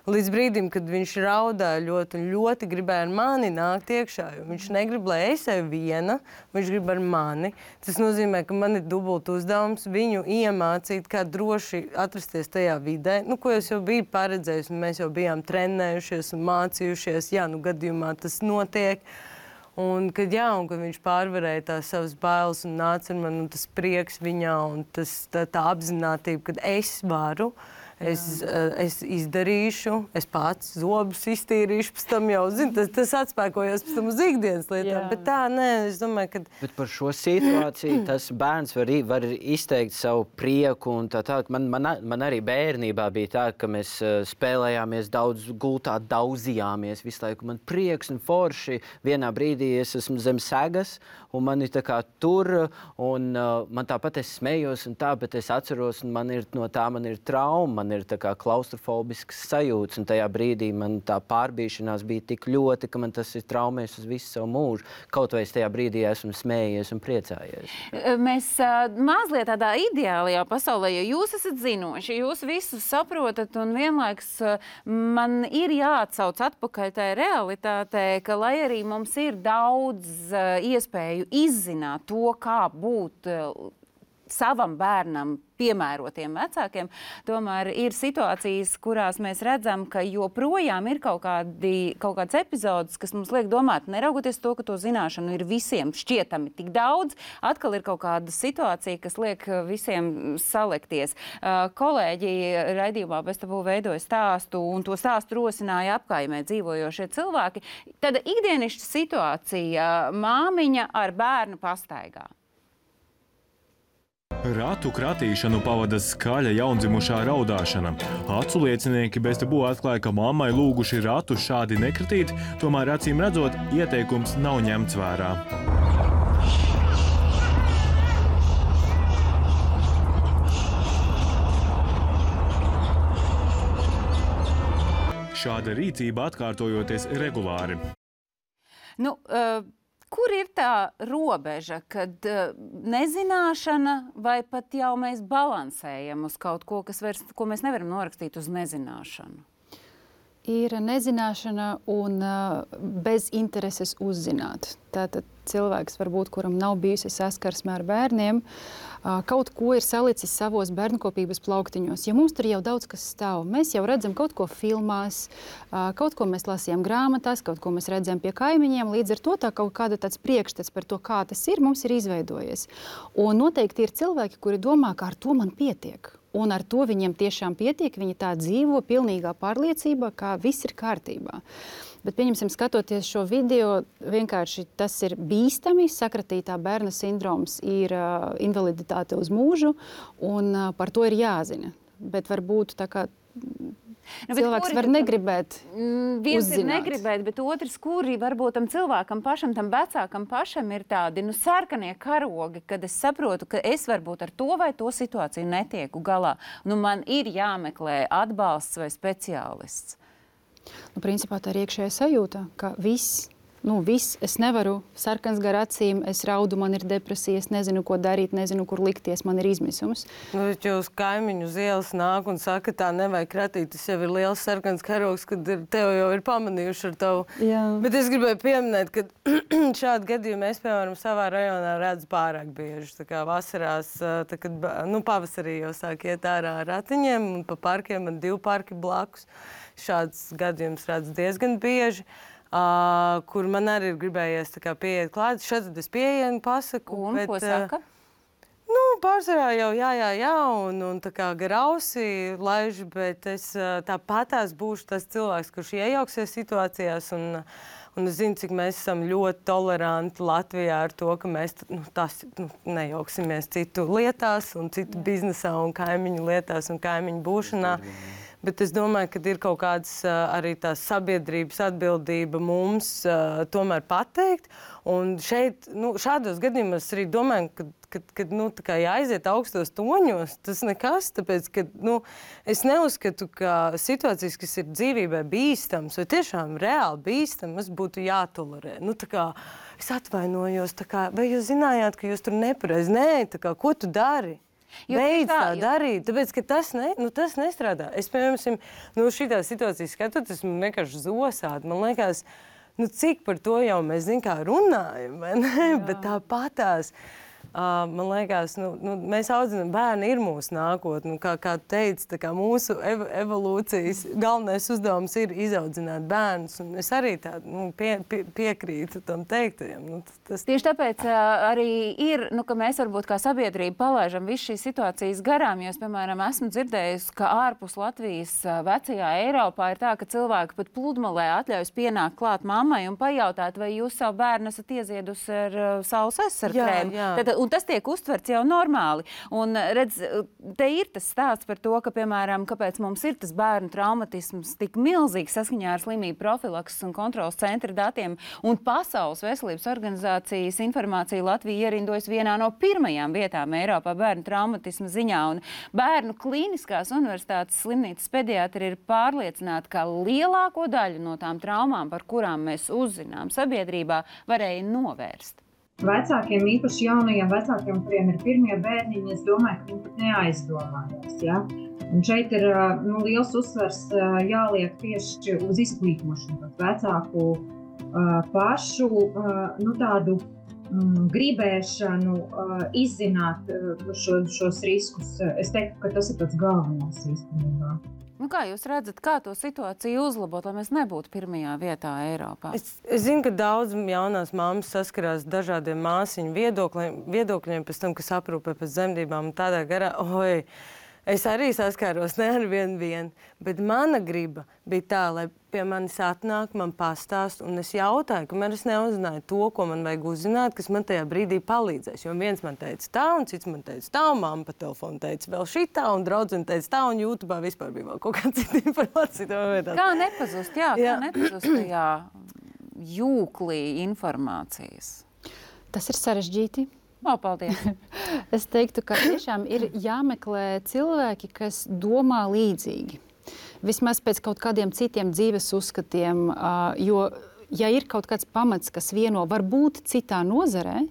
Speaker 2: Līdz brīdim, kad viņš raudāja ļoti un ļoti gribēja ar mani nākt iekšā, jo viņš negrib, lai es eju viena, viņš grib ar mani. Tas nozīmē, ka man ir dubult uzdevums viņu iemācīt, kā droši atrasties tajā vidē, ko es jau biju paredzējis, un mēs jau bijām trenējušies un mācījušies, gadījumā tas notiek. Un kad viņš pārvarēja tās savas bailes un nāca ar mani, un tas prieks viņā, un tā apzinātība, kad es varu, es izdarīšu, es pats zobus iztīrīšu, pēc tam jau, tas atspēkojās pēc tam uz ikdienas lietām. Bet tā, nē, es domāju, ka...
Speaker 5: Bet par šo situāciju tas bērns var izteikt savu prieku un tā. Man arī bērnībā bija tā, ka mēs spēlējāmies daudz gultā, daudzījāmies visu laiku. Man prieks un forši. Vienā brīdī es esmu zem segas un man ir tā kā tur un man tāpat es smējos un tā, bet es atceros un man ir trauma. Man ir tā kā klaustrofobisks sajūts, un tajā brīdī man tā pārbīšanās bija tik ļoti, ka man tas ir traumējis uz visu savu mūžu. Kaut vai es tajā brīdī esmu smējies un priecājies.
Speaker 1: Mēs mazliet tādā ideālajā pasaulē, jo jūs esat zinoši, jūs visu saprotat, un vienlaiks man ir jāatsauc atpakaļ tajā realitātē, ka lai arī mums ir daudz iespēju izzināt to, kā būt savam bērnam piemērotiem vecākiem, tomēr ir situācijas, kurās mēs redzam, ka joprojām ir kaut kāds epizods, kas mums liek domāt, neraugoties to, ka to zināšanu ir visiem šķietami tik daudz, atkal ir kaut kāda situācija, kas liek visiem salikties. Kolēģi raidījumā Bez tabū veidoja stāstu, un to stāstu rosināja apkaimē dzīvojošie cilvēki. Tad ikdienišķa situācija, māmiņa ar bērnu pastaigā.
Speaker 6: Ratu kratīšanu pavada skaļa jaundzimušā raudāšana. Acu liecinieki Bez tabū atklāja, ka mammai lūguši ratu šādi nekratīt, tomēr acīm redzot, ieteikums nav ņemts vērā. Šāda rīcība atkārtojoties regulāri.
Speaker 1: Kur ir tā robeža, kad nezināšana vai pat jau mēs balansējam uz kaut ko, ko mēs nevaram norakstīt uz nezināšanu?
Speaker 4: Ir nezināšana un bez intereses uzzināt. Tātad cilvēks, varbūt, kuram nav bijusi saskarsme ar bērniem, kaut ko ir salicis savos bērnkopības plauktiņos. Ja mums tur jau daudz kas stāv, mēs jau redzam kaut ko filmās, kaut ko mēs lasījām grāmatās, kaut ko mēs redzam pie kaimiņiem, līdz ar to tā kaut kāda tāds priekšstats par to, kā tas ir, mums ir izveidojies. Un noteikti ir cilvēki, kuri domā, ka ar to man pietiek. un ar to viņiem tiešām pietiek. Viņi tā dzīvo pilnīgā pārliecībā, ka viss ir kārtībā. Bet, pieņemsim, skatoties šo video, vienkārši tas ir bīstami. Sakratītā bērna sindroms ir invaliditāte uz mūžu, un par to ir jāzina. Bet varbūt tā kā cilvēks var negribēt
Speaker 1: viens
Speaker 4: uzzināt.
Speaker 1: ir negribēt, bet otrs, kuri varbūt tam cilvēkam pašam, tam vecākam pašam ir tādi sarkanie karogi, kad es saprotu, ka es varbūt ar to vai to situāciju netieku galā. Man ir jāmeklē atbalsts vai speciālists.
Speaker 4: Principā tā ir iekšējā sajūta, ka viss, es nevaru, sarkans gar acīm, es raudu, man ir depresija, es nezinu, ko darīt, nezinu, kur likties, man ir izmisums.
Speaker 2: Jūs kaimiņu uz ielas nāk un saka, tā nevajag kratīt, tas jau ir liels sarkans karogs, kad tev jau ir pamanījuši ar tavu.
Speaker 4: Jā.
Speaker 2: Bet es gribēju pieminēt, ka šādu gadījumu es, piemēram, savā rajonā redzu pārāk bieži. Tā kā vasarās, kad pavasarī jau sāk iet ārā ar ratiņiem un pa parkiem, man 2 parki blakus. Šāds gadījums redzu diezgan bieži. Kur man arī ir gribējies pieiet klāt. Šad es pieeju pasaku.
Speaker 1: Un ko saka?
Speaker 2: Pārsvarā jau jā, un tā kā gar ausi laiž, bet es tāpatās būšu tas cilvēks, kurš iejauksies situācijās, un es zinu, cik mēs esam ļoti toleranti Latvijā ar to, ka mēs nejauksimies citu lietās, un citu biznesā, un kaimiņu lietās, un kaimiņu būšanā. Bet es domāju, ka ir kaut kāds arī tās sabiedrības atbildība mums tomēr pateikt. Un šeit, šādos gadījumos arī domāju, ka jāaiziet augstos toņos, tas nekas, tāpēc, ka es neuzskatu, ka situācijas, kas ir dzīvībai bīstams, vai tiešām reāli bīstamas, būtu jātolerē. Es atvainojos, vai jūs zinājāt, ka jūs tur nepareizi? Nē, ko tu dari? Beidz tā darīt, tāpēc, ka tas nestrādā. Es, piemēram, šitā situācija skatoties, man vienkārši zosāt. Man liekas, cik par to jau mēs, runājam, vai ne? Bet tāpatās, man liekas, mēs audzinām, bērni ir mūsu nākotne. Kā teica, mūsu evolūcijas galvenais uzdevums ir izaudzināt bērnus. Un es arī piekrītu tam teiktajam.
Speaker 1: Tieši tāpēc arī ir, ka mēs varbūt kā sabiedrība palaižam visu šīs situācijas garām. Jo es, piemēram, esmu dzirdējusi, ka ārpus Latvijas vecajā Eiropā ir tā, ka cilvēki pat pludmalē atļaujas pienākt klāt mammai un pajautāt, vai jūs savu bērnu esat iezīdusi ar saules aizsargu krēmu. Un tas tiek uztverts jau normāli. Un, redz, te ir tas stāsts par to, ka, piemēram, kāpēc mums ir tas bērnu traumatisms tik milzīgs saskaņā ar slimību profilakses un kontrolas centra datiem. Un Pasaules veselības organizācijas informācija Latvija ierindojas vienā no pirmajām vietām Eiropā bērnu traumatismu ziņā. Un Bērnu klīniskās universitātes slimnīcas pediatri ir pārliecināti, ka lielāko daļu no tām traumām, par kurām mēs uzzinām sabiedrībā, varēja novērst.
Speaker 7: Vecākiem, īpaši jaunajiem vecākiem, kuriem ir pirmie bērniņi, es domāju, ka viņi pat neaizdomājās. Ja? Un šeit ir liels uzsvars jāliek tieši uz izglītošanu, vecāku pašu tādu gribēšanu izzināt šos riskus. Es teiktu, ka tas ir pats galvenais īstenībā.
Speaker 1: Kā jūs redzat, kā to situāciju uzlabot, lai mēs nebūtu pirmajā vietā Eiropā?
Speaker 2: Es zinu, ka daudz jaunās mammas saskarās dažādiem māsiņu viedokļiem pēc tam, kas aprūpē pēc dzemdībām un tādā garā. Es arī saskāros ne ar vienu, bet mana griba bija tā, lai pie manis atnāk, man pastāst, un es jautāju, kamēr es neuzzināju to, ko man vajag uzzināt, kas man tajā brīdī palīdzēs. Jo viens man teica tā, un cits man teica tā, un mamma pa telefonu teica vēl šitā, un draudzene teica tā, un YouTubā vispār bija vēl kaut kāda cita informācija.
Speaker 1: Kā nepazust, kā nepazust tajā jūklī informācijas?
Speaker 4: Tas ir sarežģīti.
Speaker 1: Paldies.
Speaker 4: Es teiktu, ka tiešām ir jāmeklē cilvēki, kas domā līdzīgi. Vismaz pēc kaut kādiem citiem dzīves uzskatiem, jo, ja ir kaut kāds pamats, kas vieno varbūt citā nozarē,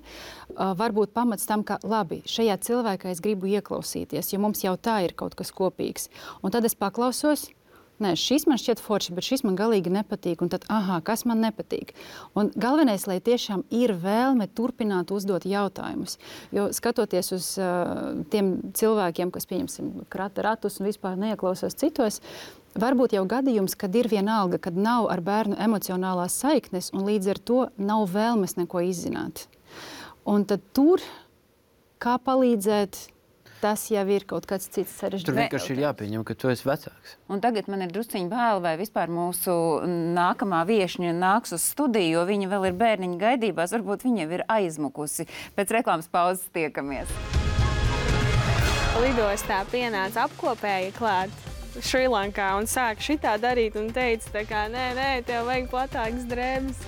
Speaker 4: varbūt pamats tam, ka labi, šajā cilvēkā es gribu ieklausīties, jo mums jau tā ir kaut kas kopīgs. Un tad es paklausos, nē, šis man šķiet forši, bet šis man galīgi nepatīk. Un tad, kas man nepatīk? Un galvenais, lai tiešām ir vēlme turpināt uzdot jautājumus. Jo skatoties uz tiem cilvēkiem, kas, pieņemsim, krata ratus un vispār neieklausās citos, varbūt jau gadījums, kad ir vienalga, kad nav ar bērnu emocionālās saiknes un līdz ar to nav vēlmes neko izzināt. Un tad tur, kā palīdzēt, tas jau ir kaut kāds cits sarežģīts.
Speaker 5: Tur vienkārši ir jāpieņem, ka tu esi vecāks.
Speaker 1: Un tagad man ir drusciņi bail, vai vispār mūsu nākamā viešņa nāks uz studiju, jo viņa vēl ir bērniņa gaidībās. Varbūt viņa jau ir aizmukusi. Pēc reklāmas pauzes tiekamies.
Speaker 3: Lidostā pienāca apkopēja klāt Šrilankā un sāka šitā darīt un teica, tā kā, nē, tev vajag platākas drēbes.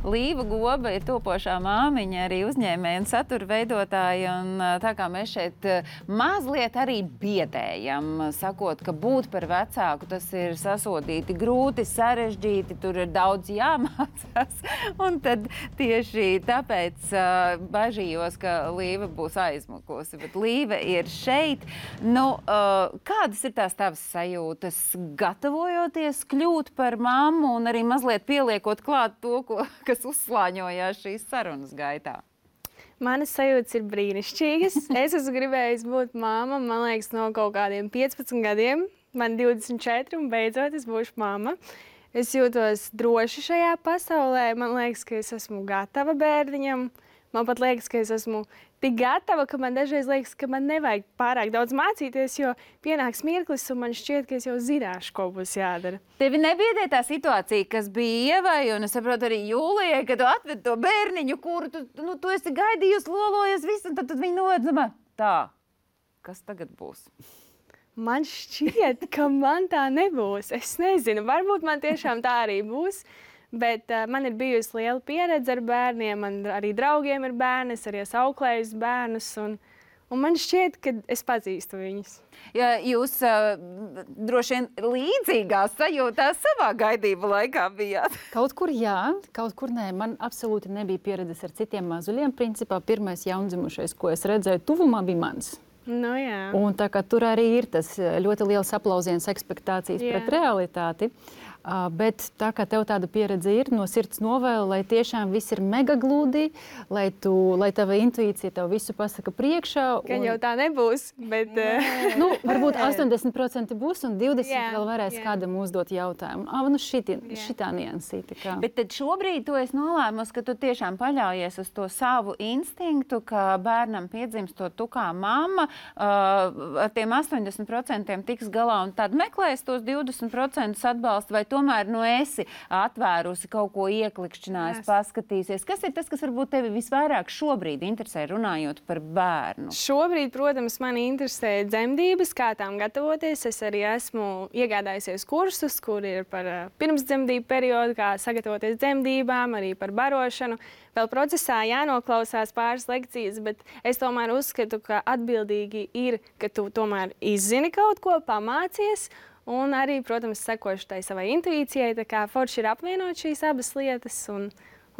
Speaker 1: Līva Goba ir topošā māmiņa, arī uzņēmēja un satura veidotāja. Un tā kā mēs šeit mazliet arī biedējam, sakot, ka būt par vecāku, tas ir sasodīti grūti, sarežģīti, tur ir daudz jāmācās. Un tad tieši tāpēc bažījos, ka Līva būs aizmukusi. Bet Līva ir šeit. Nu, kādas ir tās tavas sajūtas, gatavojoties kļūt par mammu un arī mazliet pieliekot klāt to, kas uzslāņojās šīs sarunas gaitā?
Speaker 3: Manas sajūtas ir brīnišķīgas. Es esmu gribējusi būt māma, man liekas, no kaut kādiem 15 gadiem. Man 24 un beidzot es būšu māma. Es jūtos droši šajā pasaulē. Man liekas, ka es esmu gatava bērniņam. Man pat liekas, ka es esmu tik gatava, ka man dažreiz liekas, ka man nevajag pārāk daudz mācīties, jo pienāks mirklis un man šķiet, ka es jau zināšu, ko būs jādara.
Speaker 1: Tevi nebiedē tā situācija, kas bija Ievai, un es saprotu arī Jūlijai, kad tu atved to bērniņu, kuru tu esi gaidījusi, lolojies visu, un tad viņi nolēdz, tā, kas tagad būs?
Speaker 3: Man šķiet, ka man tā nebūs. Es nezinu, varbūt man tiešām tā arī būs. Bet man ir bijusi liela pieredze ar bērniem, man arī draugiem ir bērni, es arī esmu auklējusi bērnus, un man šķiet, ka es pazīstu viņus.
Speaker 1: Ja jūs droši vien līdzīgās sajūtās savā gaidību laikā bijāt?
Speaker 4: Kaut kur jā, kaut kur nē. Man absolūti nebija pieredzes ar citiem mazuļiem. Principā pirmais jaundzimušais, ko es redzēju tuvumā, bija mans.
Speaker 3: Nu, jā.
Speaker 4: Un tā kā tur arī ir tas ļoti liels aplausiens, ekspektācijas pret realitāti. Bet tā kā tev tāda pieredze ir, no sirds novēlu, lai tiešām viss ir mega gludi, lai tava intuīcija tev visu pasaka priekšā.
Speaker 3: Gan jau tā nebūs, bet...
Speaker 4: Nu, varbūt 80% būs un 20% vēl varēs kādam uzdot jautājumu. Nu šitā niansīte.
Speaker 1: Bet tad šobrīd tu esi nolēmusi, ka tu tiešām paļaujies uz to savu instinktu, ka bērnam piedzimstot tu kā mamma, ar tiem 80% tiks galā un tad meklēs tos 20% atbalstu, vai tomēr esi atvērusi kaut ko ieklikšķinājis, paskatīsies. Kas ir tas, kas varbūt tevi visvairāk šobrīd interesē runājot par bērnu?
Speaker 3: Šobrīd, protams, mani interesē dzemdības, kā tām gatavoties. Es arī esmu iegādājusies kursus, kur ir par pirmsdzemdību periodu, kā sagatavoties dzemdībām, arī par barošanu. Vēl procesā jānoklausās pāris lekcijas, bet es tomēr uzskatu, ka atbildīgi ir, ka tu tomēr izzini kaut ko, pamācies, un arī, protams, sekošu tai savai intuīcijai, tā kā forši ir apvienot šīs abas lietas un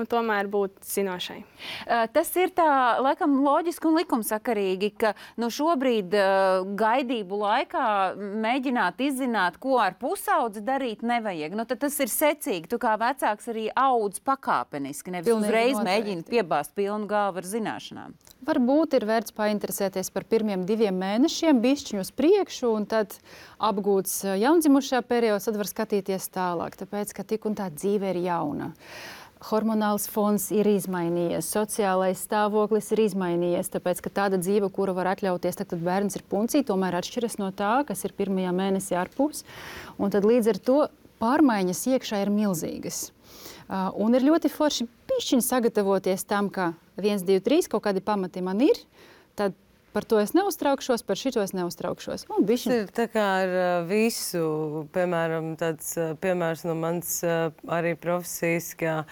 Speaker 3: tomēr būt zinošai.
Speaker 1: Tas ir tā, laikam, loģiski un likumsakarīgi, ka šobrīd gaidību laikā mēģināt izzināt, ko ar pusaudzi darīt nevajag. Tad tas ir secīgi. Tu kā vecāks arī audz pakāpeniski, nevis uzreiz mēģini piebāzt pilnu galvu ar zināšanām.
Speaker 4: Varbūt ir vērts painteresēties par pirmiem 2 mēnešiem, bišķiņu uz priekšu, un tad apgūts jaundzimušā periods, tad var skatīties tālāk, tāpēc, ka tik un tā dzīve ir jauna. Hormonāls fons ir izmainījies, sociālais stāvoklis ir izmainījies, tāpēc, ka tāda dzīve, kuru var atļauties, tad bērns ir puncī, tomēr atšķiras no tā, kas ir pirmajā mēnesī ārpus. Un tad līdz ar to pārmaiņas iekšā ir milzīgas. Un ir ļoti forši pišķiņi sagatavoties tam, ka 1, 2, 3 kaut kādi pamati man ir, tad par to es neuztraukšos, par šito es neuztraukšos.
Speaker 2: Tas ir tā kā ar visu, piemēram, tāds piemērs no mans arī profesijas, ka,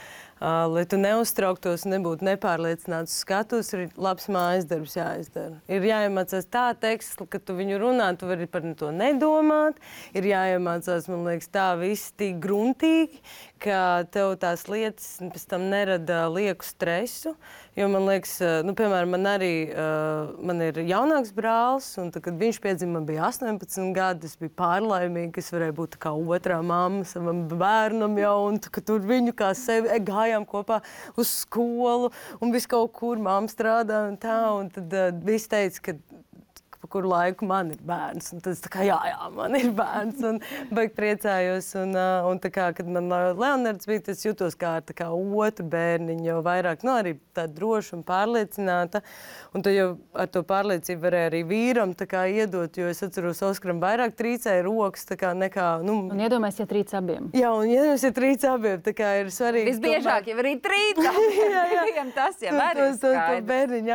Speaker 2: lai tu neuztrauktos un nebūtu nepārliecināts skatus, ir labs mājas darbs jāizdara. Ir jāiemācās tā teksts, ka tu viņu runā, tu vari par to nedomāt. Ir jāiemācās, man liekas, tā viss tik gruntīgi, ka tev tās lietas pēc tam nerada lieku stresu. Jo man liekas, piemēram, man ir jaunāks brālis, un tad, kad viņš piedzima, man bija 18 gadi, es biju pārlaimīga, es varēju būt kā otrā mamma savam bērnam jau, un ka tur viņu kā sevi gājām kopā uz skolu, un visu kaut kur mamma strādā un tā, un tad viss teica, ka kur laiku man ir bērns. Un tad es tā kā, jā, man ir bērns. Un baigi priecājos. Un tā kā, kad man Leonards bija, tas jutos kā otru bērniņu, jo vairāk, arī tā droša un pārliecināta. Un tad jau ar to pārliecību varēja arī vīram tā kā iedot, jo es atceros, Oskaram vairāk trīcēja rokas, tā kā nekā,
Speaker 4: Un iedomājies, ja trīc abiem.
Speaker 2: Jā, un iedomājies, ja trīc abiem, tā kā ir svarīgi.
Speaker 1: Visbiežāk jau arī trīc abiem, tas jau arī ir
Speaker 2: to bērniņu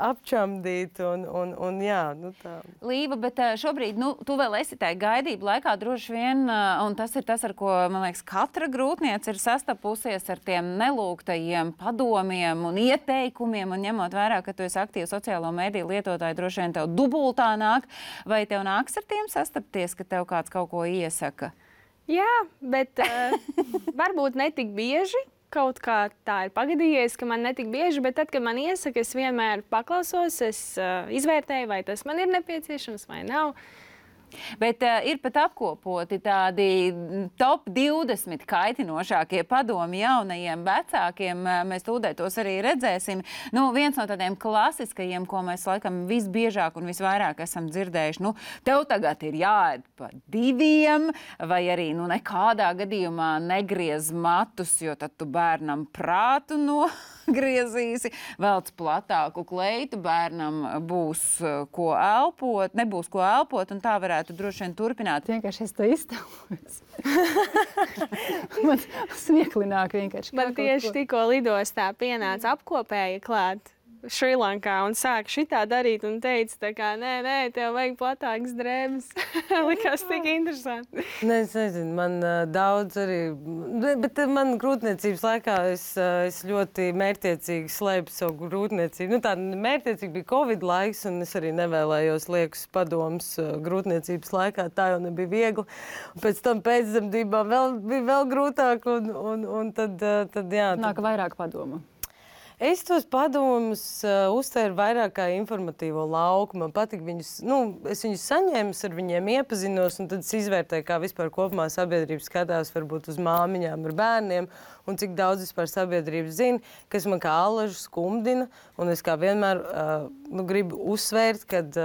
Speaker 2: apčamdīt un jā, tā.
Speaker 1: Līva, bet šobrīd, tu vēl esi tajā gaidību laikā droši vien, un tas ir tas, ar ko, man liekas, katra grūtniece ir sastapusies ar tiem nelūgtajiem padomiem un ieteikumiem, un ņemot vērā, ka tu esi aktīva sociālo mediju lietotāja, droši vien tev dubultā nāk, vai tev nāks ar tiem sastapties, ka tev kāds kaut ko iesaka?
Speaker 3: Jā, bet varbūt ne tik bieži. Kaut kā tā ir pagadījies, ka man netik bieži, bet tad, kad man iesaka, es vienmēr paklausos, es izvērtēju, vai tas man ir nepieciešams vai nav.
Speaker 1: Bet ir pat apkopoti tādi top 20 kaitinošākie padomi jaunajiem vecākiem. Mēs tūdēt tos arī redzēsim. Viens no tādiem klasiskajiem, ko mēs laikam visbiežāk un visvairāk esam dzirdējuši, tev tagad ir jāēd pa 2, vai arī nekādā gadījumā negriez matus, jo tad tu bērnam prātu nogriezīsi, velc platāku kleitu, bērnam būs ko elpot, nebūs ko elpot, un tā varētu droši vien turpināt.
Speaker 4: Vienkārši es to iztēlojos. Man smieklināk vienkārši.
Speaker 3: Man tieši tikko lidostā pienāca apkopēja klāt Šrilankā un sāka šitā darīt un teica, nē, tev vajag platākas drēbes. Likās tik interesanti.
Speaker 2: Nē, es nezinu, man daudz arī, bet man grūtniecības laikā es ļoti mērķtiecīgi slēpu savu grūtniecību. Tā mērķtiecīgi bija Covid laiks, un es arī nevēlējos liekus padomus grūtniecības laikā. Tā jau nebija viegli. Pēc tam pēcdzemdībām bija vēl grūtāk, un tad jā.
Speaker 4: Nāk vairāk padomu.
Speaker 2: Es tos padomus uztvēru vairāk kā informatīvo lauku. Man patīk viņus, es viņus saņēmu, ar viņiem iepazinos, un tad es izvērtēju, kā vispār kopumā sabiedrība skatās varbūt uz māmiņām ar bērniem, un cik daudz vispār sabiedrība zina, kas man kā allažu skumdina, un es kā vienmēr gribu uzsvērt, kad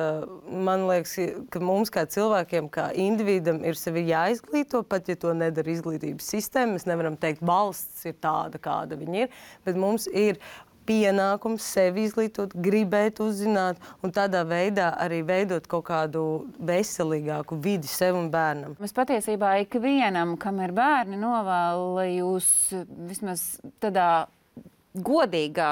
Speaker 2: man liekas, ka mums kā cilvēkiem, kā individam ir sevi jāizglīto, pat ja to nedara izglītības sistēma. Mēs nevaram teikt, valsts ir tāda, kāda viņa ir, bet mums ir pienākums sevi izglītot, gribēt uzzināt un tādā veidā arī veidot kaut kādu veselīgāku vidi sev un bērnam.
Speaker 1: Mēs patiesībā ikvienam, kam ir bērni, novēlu, lai jūs vismaz tādā godīgā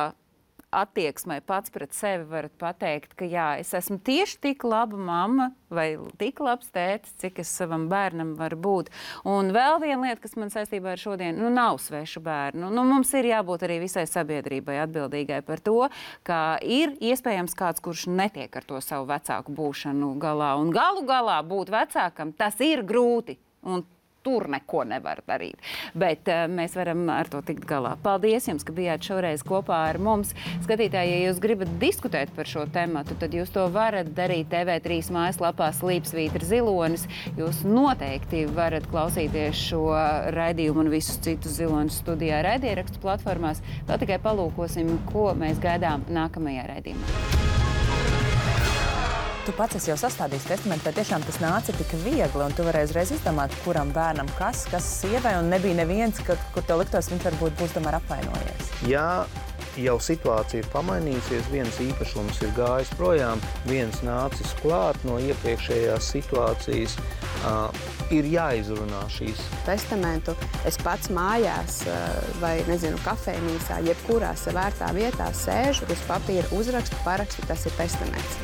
Speaker 1: attieksmē pats pret sevi varat pateikt, ka jā, es esmu tieši tik laba mamma vai tik labs tētis, cik es savam bērnam varu būt. Un vēl viena lieta, kas man saistībā ar šodien, nav svešu bērnu. Mums ir jābūt arī visai sabiedrībai atbildīgai par to, ka ir iespējams kāds, kurš netiek ar to savu vecāku būšanu galā. Un galu galā būt vecākam, tas ir grūti. Un tur neko nevar darīt. Bet mēs varam ar to tikt galā. Paldies jums, ka bijāt šoreiz kopā ar mums. Skatītāji, ja jūs gribat diskutēt par šo tematu, tad jūs to varat darīt TV3 mājaslapā Slīpsvītra Zilonis. Jūs noteikti varat klausīties šo raidījumu un visus citus Zilonis studijā raidierakstu platformās. Vēl tikai palūkosim, ko mēs gaidām nākamajā raidījumā.
Speaker 8: Tu pats esi jau sastādījis testamentu, vai tiešām tas nāca tik viegli, un tu varēji uzreiz izdomāt, kuram bērnam kas sievai, un nebija neviens, kur tev liktos, viņš varbūt būs tomēr apvainojies?
Speaker 9: Jā, jau situācija ir pamainījusies, viens īpašums ir gājis projām, viens nācis klāt no iepriekšējās situācijas, ir jāizrunā šīs.
Speaker 10: Testamentu es pats mājās vai, kafejnīcā, jebkurā savērtā vietā sēžu, uz papīra uzrakstu, parakstu, tas ir testaments.